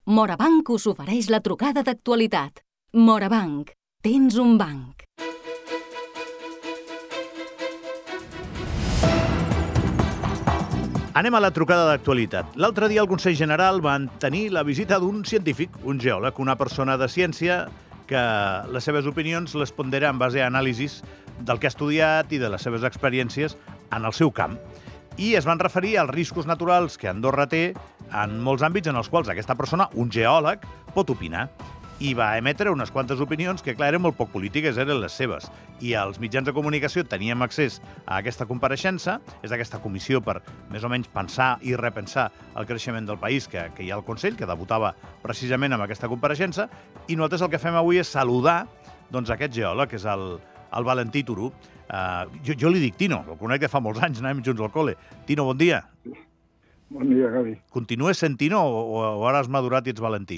Morabanc us ofereix la trucada d'actualitat. Morabanc, tens un banc. Anem a la trucada d'actualitat. L'altre dia el Consell General va tenir la visita d'un científic, un geòleg, una persona de ciència que les seves opinions les pondera en base a anàlisis del que ha estudiat i de les seves experiències en el seu camp. I es van referir als riscos naturals que Andorra té en molts àmbits en els quals aquesta persona, un geòleg, pot opinar. I va emetre unes quantes opinions que, clar, eren molt poc polítiques, eren les seves. I els mitjans de comunicació teníem accés a aquesta compareixença, és aquesta comissió per més o menys pensar i repensar el creixement del país que hi ha al Consell, que debutava precisament amb aquesta compareixença, i nosaltres el que fem avui és saludar aquest geòleg, que és el Valentí Turú. Jo li dic Tino, el conec de fa molts anys, anàvem junts al col·le. Tino, bon dia. Bon dia, Gavi. Continues sent Tino o ara has madurat i ets Valentí?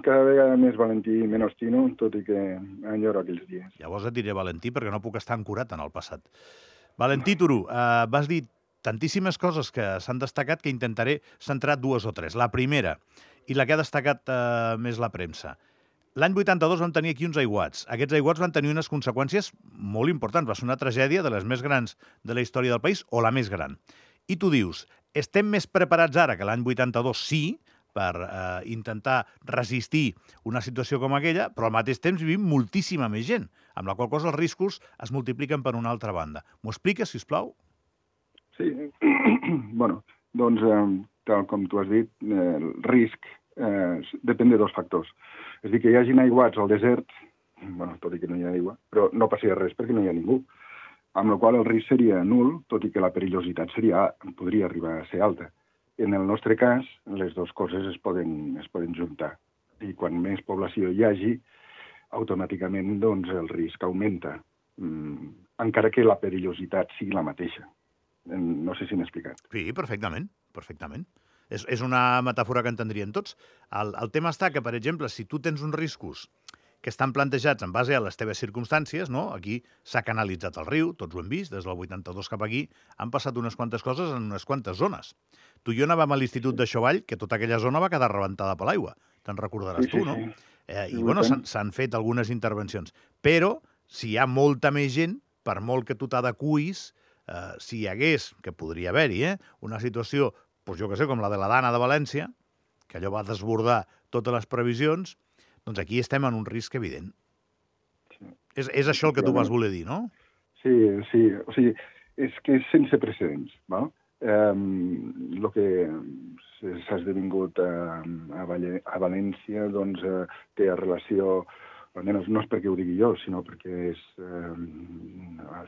Cada vegada més Valentí i menys Tino, tot i que enyoro aquells dies. Llavors et diré Valentí perquè no puc estar ancorat en el passat. Valentí Turú, vas dir tantíssimes coses que s'han destacat que intentaré centrar dues o tres. La primera, i la que ha destacat més la premsa. L'any 82 vam tenir aquí uns aiguats. Aquests aiguats van tenir unes conseqüències molt importants. Va ser una tragèdia de les més grans de la història del país, o la més gran. I tu dius, estem més preparats ara que l'any 82, sí, per intentar resistir una situació com aquella, però al mateix temps vivim moltíssima més gent, amb la qual cosa els riscos es multipliquen per una altra banda. M'ho expliques, sisplau? Sí, bueno, doncs, tal com tu has dit, el risc depèn de dos factors. És a dir, que hi hagin aiguats al desert, bueno, tot i que no hi ha aigua, però no passaria res perquè no hi ha ningú, amb la qual el risc seria nul, tot i que la perillositat podria arribar a ser alta. En el nostre cas, les dues coses es poden juntar. I quan més població hi hagi, automàticament doncs, el risc augmenta, encara que la perillositat sigui la mateixa. No sé si m'he explicat. Sí, perfectament. És una metàfora que entendrien tots. El tema està que, per exemple, si tu tens uns riscos que estan plantejats en base a les teves circumstàncies, no? Aquí s'ha canalitzat el riu, tots ho hem vist, des del 82 cap aquí, han passat unes quantes coses en unes quantes zones. Tu i jo anàvem a l'Institut de Xovall, que tota aquella zona va quedar rebentada per l'aigua. Te'n recordaràs tu, no? I, bueno, s'han fet algunes intervencions. Però, si hi ha molta més gent, per molt que tu t'adequis, si hi hagués, que podria haver-hi, una situació, doncs jo què sé, com la de la Dana de València, que allò va desbordar totes les previsions, doncs aquí estem en un risc evident. Sí. És això el que tu vas voler dir, no? Sí. O sigui, és que és sense precedents, val? El que s'ha esdevingut a València doncs, té relació, almenys no és perquè ho digui jo, sinó perquè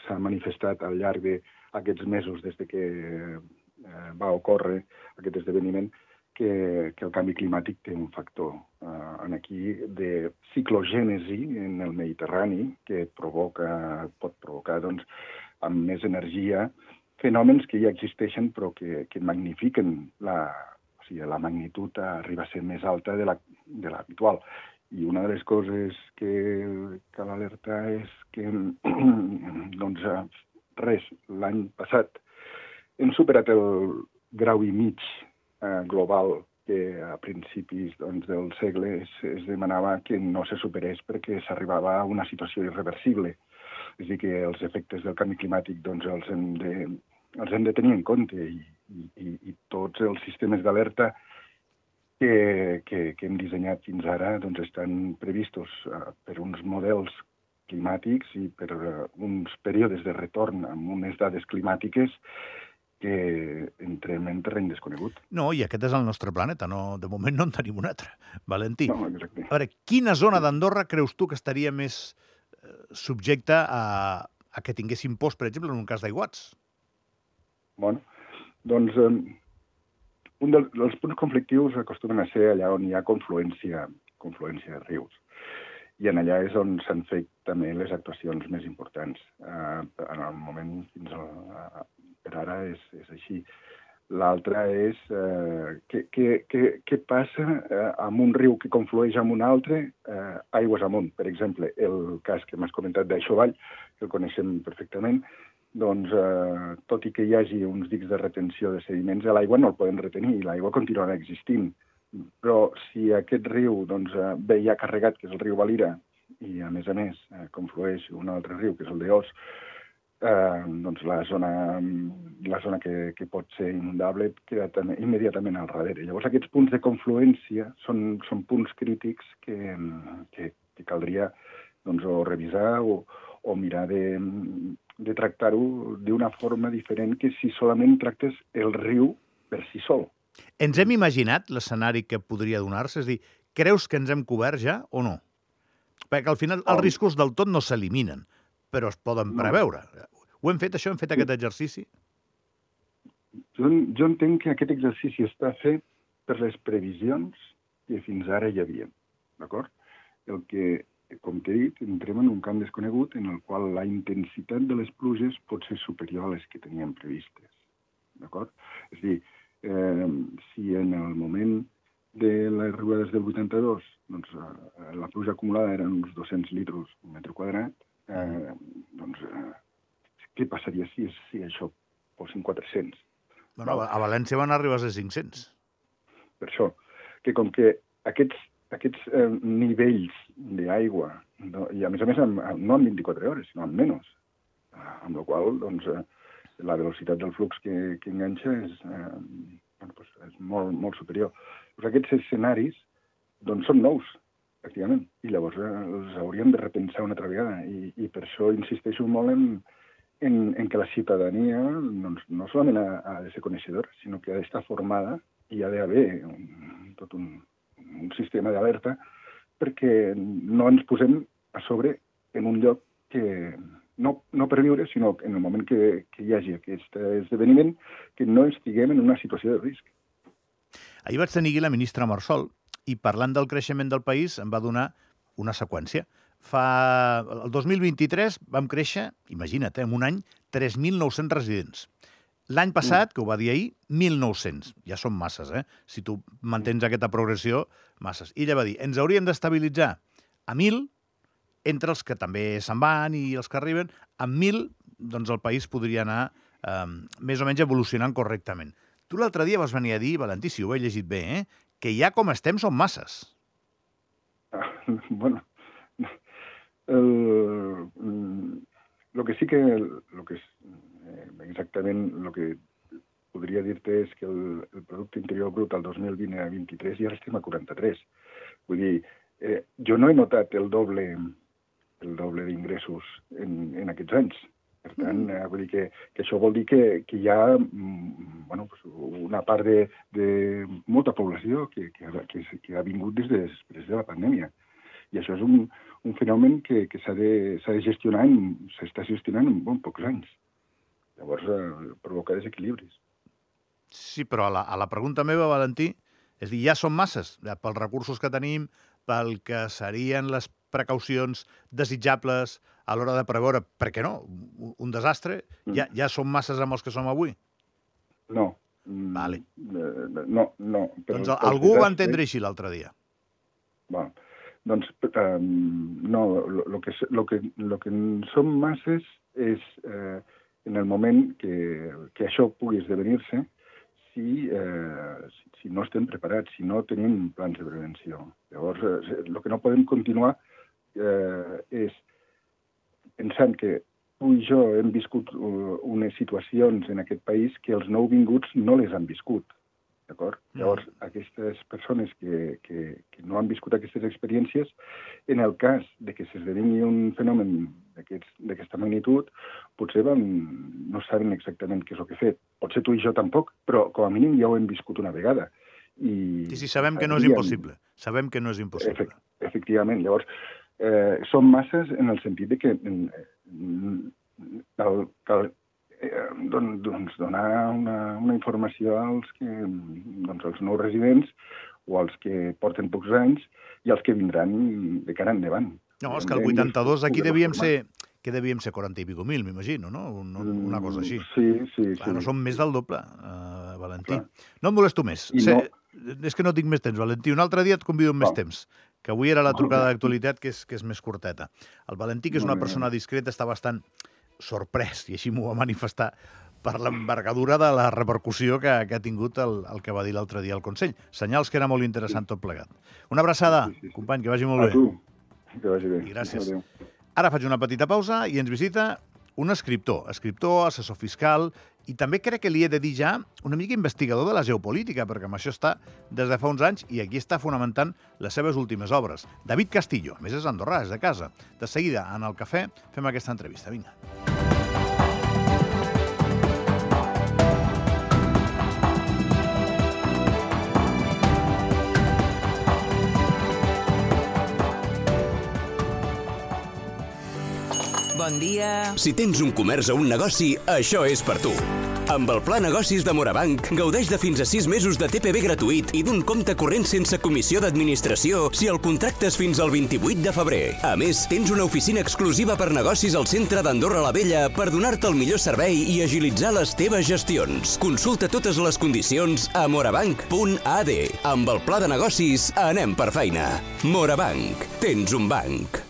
s'ha manifestat al llarg d'aquests mesos des que va ocórrer aquest esdeveniment, que el canvi climàtic té un factor aquí de ciclogènesi en el Mediterrani que pot provocar doncs, amb més energia fenòmens que ja existeixen però que magnifiquen la magnitud arriba a ser més alta de l'habitual. I una de les coses que cal alertar és que doncs, l'any passat hem superat el grau i mig global que a principis del segle es demanava que no se superés perquè s'arribava a una situació irreversible. És a dir, que els efectes del canvi climàtic doncs, els hem de tenir en compte i tots els sistemes d'alerta que hem dissenyat fins ara doncs, estan previstos per uns models climàtics i per uns períodes de retorn amb unes dades climàtiques que entrem en terreny desconegut. No, i aquest és el nostre planeta. No, de moment no en tenim un altre. Valentí, no, exacte. A veure, quina zona d'Andorra creus tu que estaria més subjecta a que tinguéssim post, per exemple, en un cas d'aiguats? Bueno, doncs un dels punts conflictius acostumen a ser allà on hi ha confluència de rius. I en allà és on s'han fet també les actuacions més importants. En el moment fins per ara és així. L'altre és què passa amb un riu que conflueix amb un altre aigües amunt. Per exemple, el cas que m'has comentat d'Aixovall, que el coneixem perfectament, doncs, tot i que hi hagi uns dics de retenció de sediments, l'aigua no el poden retenir i l'aigua continuarà existint. Però si aquest riu ve ja carregat, que és el riu Valira, i a més conflueix un altre riu, que és el d'Eós, la zona que pot ser inundable queda immediatament al darrere. Llavors, aquests punts de confluència són punts crítics que caldria o revisar o mirar de tractar-ho d'una forma diferent que si solament tractes el riu per si sol. Ens hem imaginat l'escenari que podria donar-se? És a dir, creus que ens hem cobert ja o no? Perquè al final els riscos del tot no s'eliminen, però es poden preveure. Ho hem fet, això? Hem fet aquest exercici? Jo entenc que aquest exercici està fet per les previsions que fins ara hi havia. D'acord? El que, com t'he dit, entrem en un camp desconegut en el qual la intensitat de les pluges pot ser superior a les que teníem previstes. D'acord? És a dir, si en el moment de les riuades del 82 la pluja acumulada eren uns 200 litres per metre quadrat, què passaria si això fossin 400? Bueno, a València van arribar a ser 500. Per això, que com que aquests nivells d'aigua, i a més no en 24 hores, sinó en menys, amb la qual la velocitat del flux que enganxa és molt superior. Aquests escenaris són nous, pràcticament, i llavors els hauríem de repensar una altra vegada. I per això insisteixo molt en que la ciutadania no solament ha de ser coneixedora, sinó que ha d'estar formada i ha d'haver tot un sistema d'alerta perquè no ens posem a sobre en un lloc que no per viure, sinó en el moment que hi hagi aquest esdeveniment, que no estiguem en una situació de risc. Ahir vaig tenir aquí la ministra Marsol i parlant del creixement del país em va donar una seqüència. El 2023 vam créixer, imagina't, en un any, 3.900 residents. L'any passat, que ho va dir ahir, 1.900. Ja són masses, eh? Si tu mantens aquesta progressió, masses. I ella va dir, ens hauríem d'estabilitzar a 1.000, entre els que també se'n van i els que arriben, amb 1.000, doncs el país podria anar més o menys evolucionant correctament. Tu l'altre dia vas venir a dir, Valentí, si ho he llegit bé, que ja com estem són masses. Bueno, lo que sí que exactament el que podria dir-te és que el Producte Interior Brut al 2020 a 23 ja estem a 43. Vull dir, jo no he notat el doble d'ingressos en aquests anys. Per tant, vull dir que això vol dir que hi ha una part de molta població que ha vingut des de després de la pandèmia. I això és un fenomen que s'ha de gestionar, s'està gestionant en pocs anys. Llavors, provoca desequilibris. Sí, però a la pregunta meva, Valentí, és dir, ja són masses, pels recursos que tenim, pel que serien les precaucions desitjables a l'hora de preveure, per què no, un desastre, ja són masses amb els que som avui? No. Vale. No. Doncs algú ho va entendre així l'altre dia. Bueno, doncs, no, lo que són masses és en el moment que això pugui esdevenir-se si no estem preparats, si no tenim plans de prevenció. Llavors, el que no podem continuar és pensant que tu i jo hem viscut unes situacions en aquest país que els nouvinguts no les han viscut. D'acord? Llavors, aquestes persones que no han viscut aquestes experiències, en el cas de que s'esdevingui un fenomen d'aquesta magnitud, potser no saben exactament què és el que ha fet. Potser tu i jo tampoc, però com a mínim ja ho hem viscut una vegada. Sí, sabem que no és impossible. Sabem que no és impossible. Efectivament. Llavors, són masses en el sentit de que cal donar una informació als nous residents o als que porten pocs anys i als que vindran de cara endavant. No, és que el 82 aquí devíem ser 40 i pico mil, m'imagino, no? Una cosa així. Sí. Clar, no som més del doble, Valentí. No em molesto més. És que no tinc més temps, Valentí. Un altre dia et convido amb més temps, que avui era la trucada d'actualitat, que és més curteta. El Valentí, que és una persona discreta, està bastant sorprès, i així m'ho va manifestar, per l'envergadura de la repercussió que ha tingut el que va dir l'altre dia al Consell. Senyals que era molt interessant tot plegat. Una abraçada, company, que vagi molt bé. A tu, que vagi bé. I gràcies. Adéu. Ara faig una petita pausa i ens visita un escriptor, assessor fiscal, i també crec que li he de dir ja una mica investigador de la geopolítica, perquè amb això està des de fa uns anys i aquí està fonamentant les seves últimes obres. David Castillo, a més és andorrà, és de casa. De seguida, en el cafè, fem aquesta entrevista. Vinga. Bon dia. Si tens un comerç o un negoci, això és per tu. Amb el Pla Negocis de Morabanc, gaudeix de fins a 6 mesos de TPV gratuït i d'un compte corrent sense comissió d'administració si el contractes fins al 28 de febrer. A més, tens una oficina exclusiva per negocis al centre d'Andorra la Vella per donar-te el millor servei i agilitzar les teves gestions. Consulta totes les condicions a morabanc.ad. Amb el Pla de Negocis, anem per feina. Morabanc. Tens un banc.